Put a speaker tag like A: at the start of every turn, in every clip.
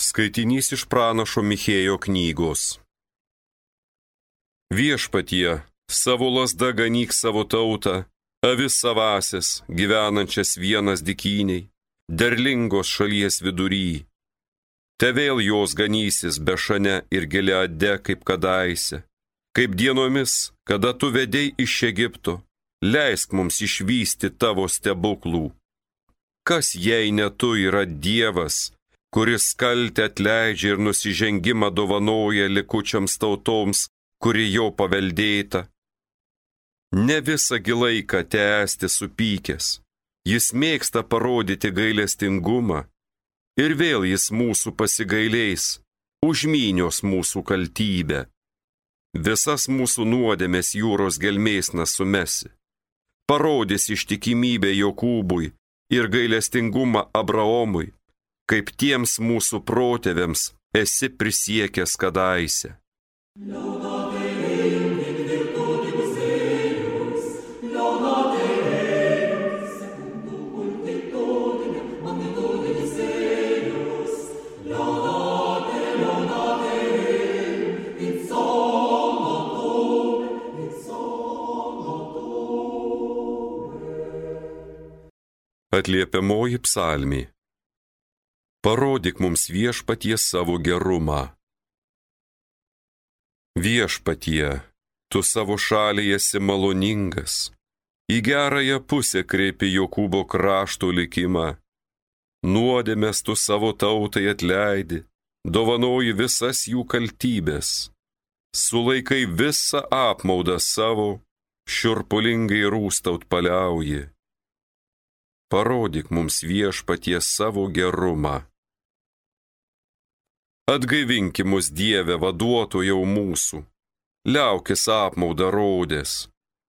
A: Skaitinys iš pranašo Michėjo knygos. Viešpatie, savo lazda ganyk savo tautą, avis savasis, gyvenančias vienas dykyniai, derlingos šalies vidury. Te vėl jos ganysis Bešane ir Gileade kaip kadaise, kaip dienomis, kada tu vedei iš Egipto, leisk mums išvysti tavo stebuklų. Kas jei ne tu yra Dievas, kuris kaltę atleidžia ir nusižengimą dovanoja likučiams tautoms, kuri jau paveldėta? Ne visą laiką tęsti supykęs, jis mėgsta parodyti gailestingumą, ir vėl jis mūsų pasigailės, užmynios mūsų kaltybę. Visas mūsų nuodėmės jūros gelmėsna sumesi, parodys ištikimybę Jokūbui ir gailestingumą Abraomui, kaip tiems mūsų protėviams esi prisiekęs kadaise. Atliepiamoji psalmė. Parodyk mums viešpatie savo gerumą. Viešpatie, tu savo šaliai esi maloningas, į gerąją pusę kreipi Jokūbo krašto likimą. Nuodėmes tu savo tautai atleidi, dovanoji visas jų kaltybės, sulaikai visą apmaudą savo, šiurpulingai rūstaut paliauji. Parodyk mums viešpatie savo gerumą. Atgaivinki mus Dieve, vaduotojau mūsų, liaukis apmaudą rodės,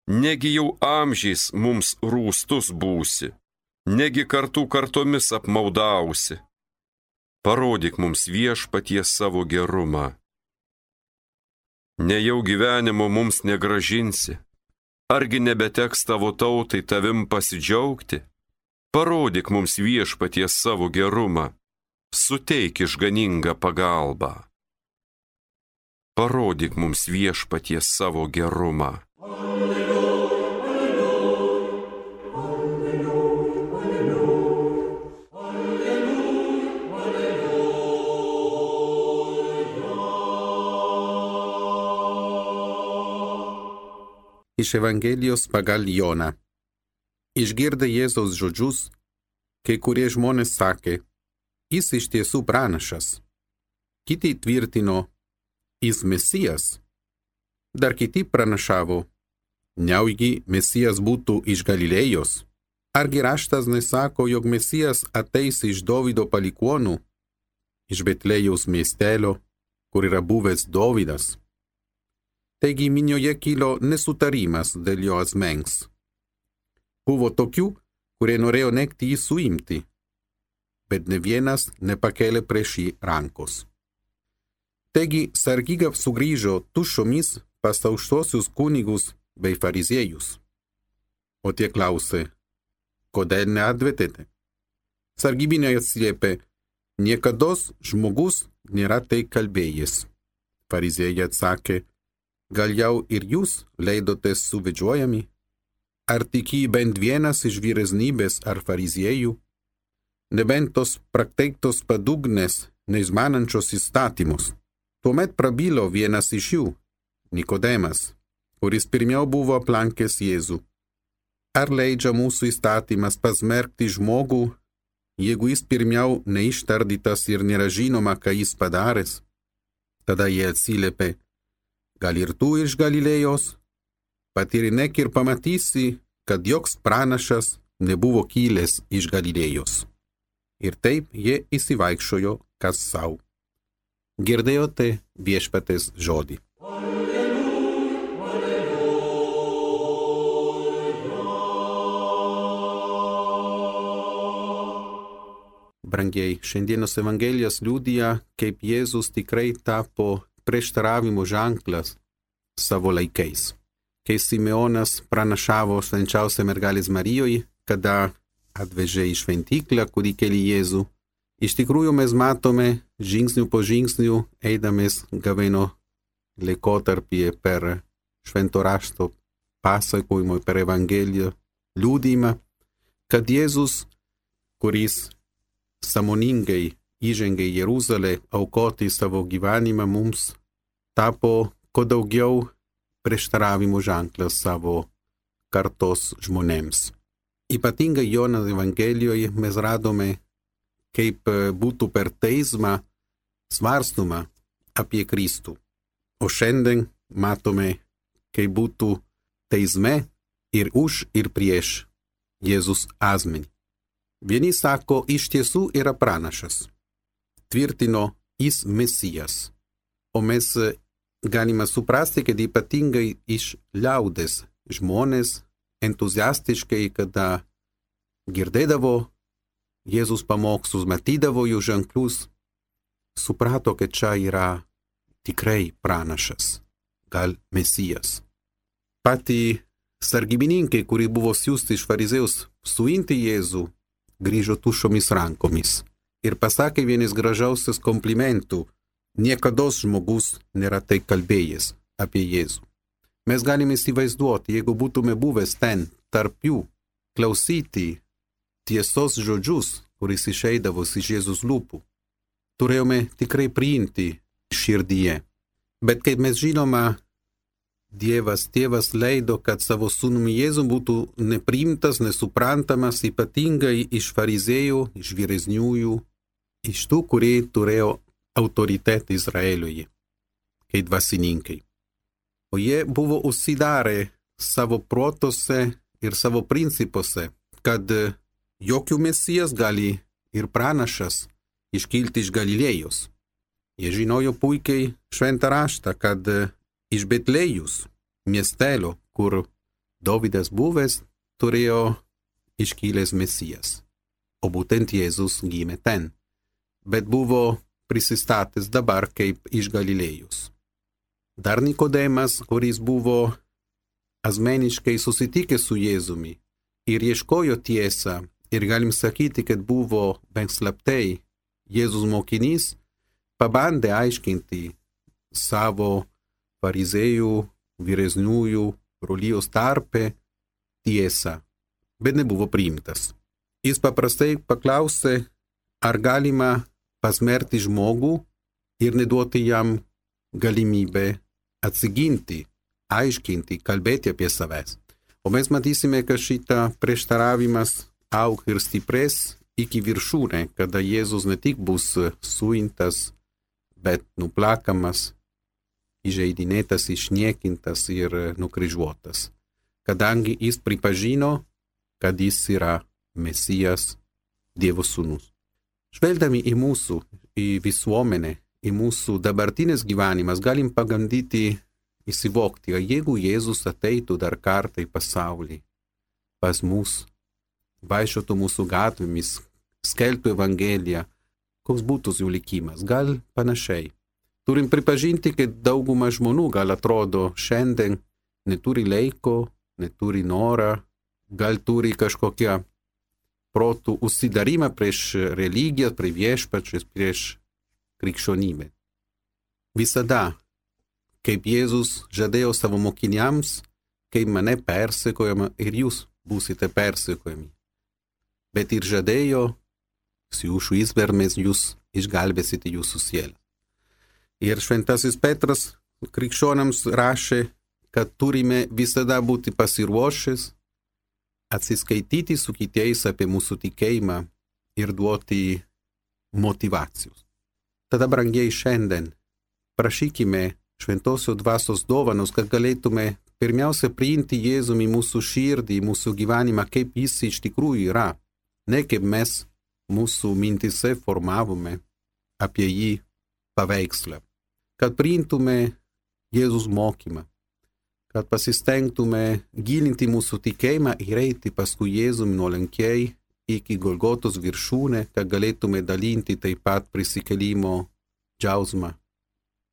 A: negi jau amžiais mums rūstus būsi, negi kartų kartomis apmaudausi. Parodyk mums viešpatie savo gerumą. Nejau gyvenimo mums negražinsi, argi nebeteks tavo tautai tavim pasidžiaugti? Parodyk mums viešpatie savo gerumą, suteik išganingą pagalbą. Parodyk mums viešpatie savo gerumą.
B: Iš Evangelijos pagal Joną. Išgirdę Jėzaus žodžius, kai kurie žmonės sakė, jis iš tiesų pranašas. Kiti tvirtino, jis Mesijas. Dar kiti pranašavo, nejaugi Mesijas būtų iš Galilėjos. Argi raštas nesako, jog Mesijas ateis iš Dovydo palikuonų, iš Betlėjaus miestelio, kur yra buvęs Dovydas. Taigi minioje kilo nesutarimas dėl jo asmens. Buvo tokių, kurie norėjo nekti jį suimti, bet ne vienas nepakėlė prieš jį rankos. Taigi sargyba sugrįžo tuščiomis pas aukštuosius kunigus bei fariziejus. O tie klausė, kodėl neatvedėte? Sargybiniai atsiliepė, niekados žmogus nėra tai kalbėjęs. Fariziejai atsakė, gal jau ir jūs leidotės suvedžiojami? Ar tiki bent vienas iš vyresnybės ar fariziejų? Nebent tos prakteiktos padugnės, neizmanančios įstatymus. Tuomet prabilo vienas iš jų, Nikodemas, kuris pirmiau buvo aplankęs Jėzų. Ar leidžia mūsų įstatymas pasmerkti žmogų, jeigu jis pirmiau neištardytas ir nėra žinoma, ką jis padaręs? Tada jie atsiliepė, gal ir tu iš Galilėjos? Patyrinėk ir pamatysi, kad joks pranašas nebuvo kilęs iš Galilėjos. Ir taip jie įsivaikščiojo kas sau. Girdėjote viešpaties žodį. Brangiai, šiandienos Evangelijas liudija, kaip Jėzus tikrai tapo prieštaravimo ženklas savo laikais. Kai Simeonas pranašavo švenčiausiai mergelės Marijoje, kada atvežė į šventyklą kūdikėlį Jėzų, Iš tikrųjų mes matome žingsnių po žingsnių, eidamis gavėno laikotarpyje per švento rašto pasakojimą, per Evangeliją liudijimą, kad Jėzus, kuris sąmoningai įžengė į Jeruzalę aukoti savo gyvenimą, mums tapo kuo daugiau prieštaravimų ženklas savo kartos žmonėms. Ypatingai Jono Evangelijoje mes radome, kaip būtų per teismą svarstoma apie Kristų. O šiandien matome, kaip būtų teisme ir už ir prieš Jėzus asmenį. Vieni sako, iš tiesų yra pranašas. Tvirtino, jis Mesijas. O mes galime suprasti, kad ypatingai iš liaudės žmonės entuziastiškai, kada girdėdavo Jėzus pamokslus, matydavo jų ženklus, suprato, kad čia yra tikrai pranašas, gal Mesijas. Patį sargybininkai, kurie buvo siųsti iš farizėjus suimti Jėzų, grįžo tuščiomis rankomis ir pasakė vienas gražiausias komplimentų: niekados žmogus nėra tai kalbėjęs apie Jėzų. Mes galime įsivaizduoti, jeigu būtume buvęs ten, tarp jų, klausyti tiesos žodžius, kuris išeidavo iš Jėzus lūpų, turėjome tikrai priimti širdyje. Bet kaip mes žinome, Dievas tėvas leido, kad savo sūnumi Jėzum būtų nepriimtas, nesuprantamas, ypatingai iš farizėjų, iš vyresniųjų, iš tų, kurie turėjo autoritetą Izraeliuje, kaip dvasininkai. O jie buvo užsidarę savo protuose ir savo principuose, kad jokių Mesijas gali ir pranašas iškilti iš Galilėjos. Jie žinojo puikiai šventą raštą, kad iš Betlėjus, miestelio, kur Dovydas buvęs, turėjo iškilęs Mesijas. O būtent Jėzus gimė ten, bet buvo prisistatęs dabar kaip iš Galilėjos. Dar Nikodemas, kuris buvo asmeniškai susitikęs su Jėzumi ir ieškojo tiesą, ir galim sakyti, kad buvo bent slaptai Jėzus mokinys, pabandė aiškinti savo farizėjų, vyresniųjų, brolijos tarpe tiesą, bet nebuvo priimtas. Jis paprastai paklausė, ar galima pasmerkti žmogų ir neduoti jam galimybę atsiginti, aiškinti, kalbėti apie savęs. O mes matysime, kad šitą prieštaravimas aug ir stiprės iki viršūnę, kada Jėzus ne tik bus suimtas, bet nuplakamas, įžeidinėtas, išniekintas ir nukryžiuotas, kadangi jis pripažino, kad jis yra Mesijas, Dievo sūnus. Žvelgdami į mūsų, į visuomenę, į mūsų dabartinės gyvenimas, galim pagandyti įsivokti, kad jeigu Jėzus ateitų dar kartą į pasaulį, pas mus, vaikščiotų mūsų gatvėmis, skelbtų Evangeliją, koks būtų jų likimas, gal panašiai. Turim pripažinti, kad dauguma žmonių gal atrodo šiandien neturi laiko, neturi norą, gal turi kažkokią protų užsidarimą prieš religiją, prieš viešpačius, prieš krikščionybę. Visada, kaip Jėzus žadėjo savo mokiniams, kai mane persekiojama ir jūs būsite persekiojami. Bet ir žadėjo, su jūsų izbėrmės jūs išgelbėsite jūsų sielą. Ir šventasis Petras krikščionams rašė, kad turime visada būti pasiruošęs, atsiskaityti su kitais apie mūsų tikėjimą ir duoti motyvacijos. Tada, brangiai, šiandien prašykime šventosios dvasios dovanos, kad galėtume pirmiausia priimti Jėzų į mūsų širdį, į mūsų gyvenimą, kaip jis iš tikrųjų yra, ne kaip mes mūsų mintise formavome apie jį paveikslą. Kad priimtume Jėzus mokymą, kad pasistengtume gilinti mūsų tikėjimą ir eiti paskui Jėzų nuolankiai iki Golgotos viršūnę, kad galėtume dalinti taip pat prisikėlimo džiaugsmą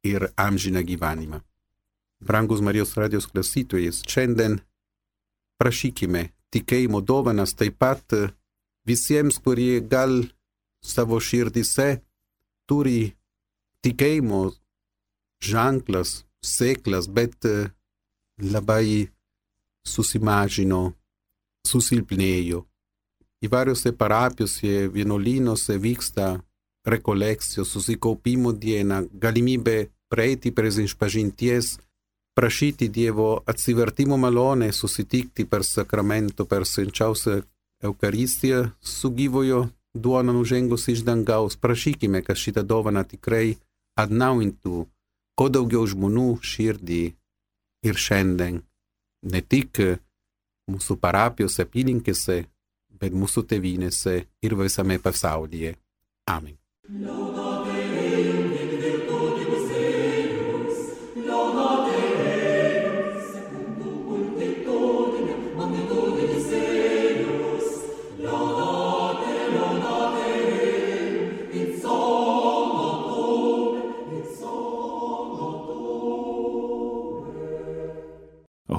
B: ir amžiną gyvenimą. Brangus Marijos radijos klausytojais, šiandien prašykime tikėjimo dovanas taip pat visiems, kurie gal savo širdyse turi tikėjimo ženklas, sėklas, bet labai susimažino, susilpnėjo. Įvairiose parapijose, vienuolynuose vyksta rekolekcijos, susikaupimo diena, galimybė prieiti prie išpažinties, prašyti Dievo atsivertimo malonę, susitikti per sakramento, per švenčiausią Eukaristiją su gyvojo duona nužengus iš dangaus. Prašykime, kad šitą dovaną tikrai atnaujintų kuo daugiau žmonių širdį ir šiandien, ne tik mūsų parapijos apylinkėse, bet mūsų tėvynėse ir visame pasaulyje. Amen.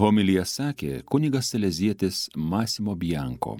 C: Homiliją sakė kunigas salezietis Massimo Bianco.